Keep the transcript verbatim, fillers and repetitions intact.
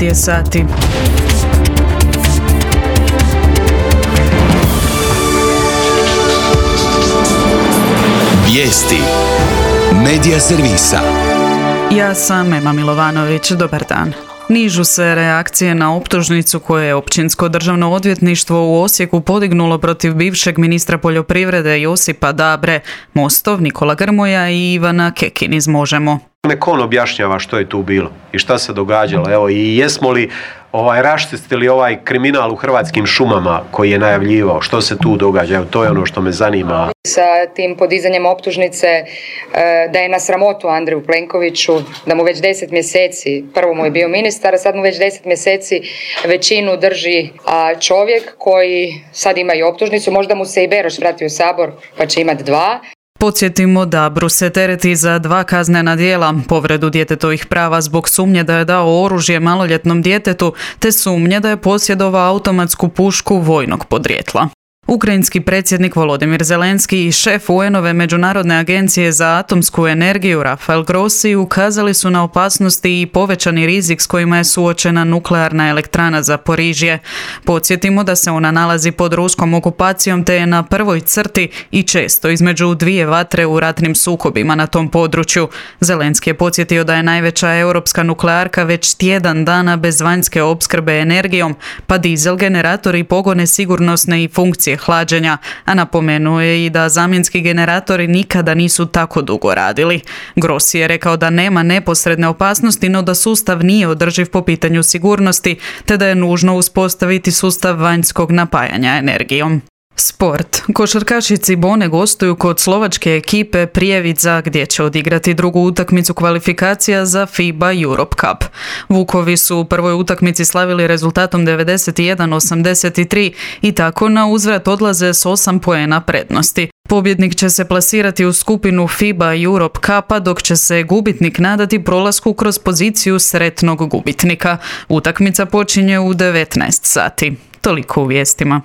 devet je sati. Vijesti Medija servisa. Ja sam Ema Milovanović, dobar dan. Nižu se reakcije na optužnicu koje je Općinsko državno odvjetništvo u Osijeku podignulo protiv bivšeg ministra poljoprivrede Josipa Dabre, Mostov Nikola Grmoja i Ivana Kekin iz Možemo. Nek on objašnjava što je tu bilo i šta se događalo. Evo, i jesmo li ovaj, raščistili ovaj kriminal u Hrvatskim šumama koji je najavljivao, što se tu događa, evo, to je ono što me zanima. Sa tim podizanjem optužnice da je na sramotu Andreju Plenkoviću, da mu već deset mjeseci, prvo mu je bio ministar, a sad mu već deset mjeseci većinu drži čovjek koji sad ima i optužnicu, možda mu se i Beroš vrati u Sabor pa će imati dva. Podsjetimo da Dabru se tereti za dva kaznena djela, povredu djetetovih prava zbog sumnje da je dao oružje maloljetnom djetetu, te sumnje da je posjedovao automatsku pušku vojnog podrijetla. Ukrajinski predsjednik Volodimir Zelenski i šef U N-ove Međunarodne agencije za atomsku energiju Rafael Grossi ukazali su na opasnosti i povećani rizik s kojima je suočena nuklearna elektrana Zaporižje. Podsjetimo da se ona nalazi pod ruskom okupacijom te je na prvoj crti i često između dvije vatre u ratnim sukobima na tom području. Zelenski je podsjetio da je najveća europska nuklearka već tjedan dana bez vanjske opskrbe energijom, pa dizel generatori pogone sigurnosne i funkcije hlađenja, a napomenuo je i da zamjenski generatori nikada nisu tako dugo radili. Grossi je rekao da nema neposredne opasnosti, no da sustav nije održiv po pitanju sigurnosti, te da je nužno uspostaviti sustav vanjskog napajanja energijom. Sport. Košarkaši Cibone gostuju kod slovačke ekipe Prijevica gdje će odigrati drugu utakmicu kvalifikacija za FIBA Europe Cup. Vukovi su u prvoj utakmici slavili rezultatom devedeset jedan osamdeset tri i tako na uzvrat odlaze s osam poena prednosti. Pobjednik će se plasirati u skupinu FIBA Europe Cupa, dok će se gubitnik nadati prolasku kroz poziciju sretnog gubitnika. Utakmica počinje u devetnaest sati. Toliko u vijestima.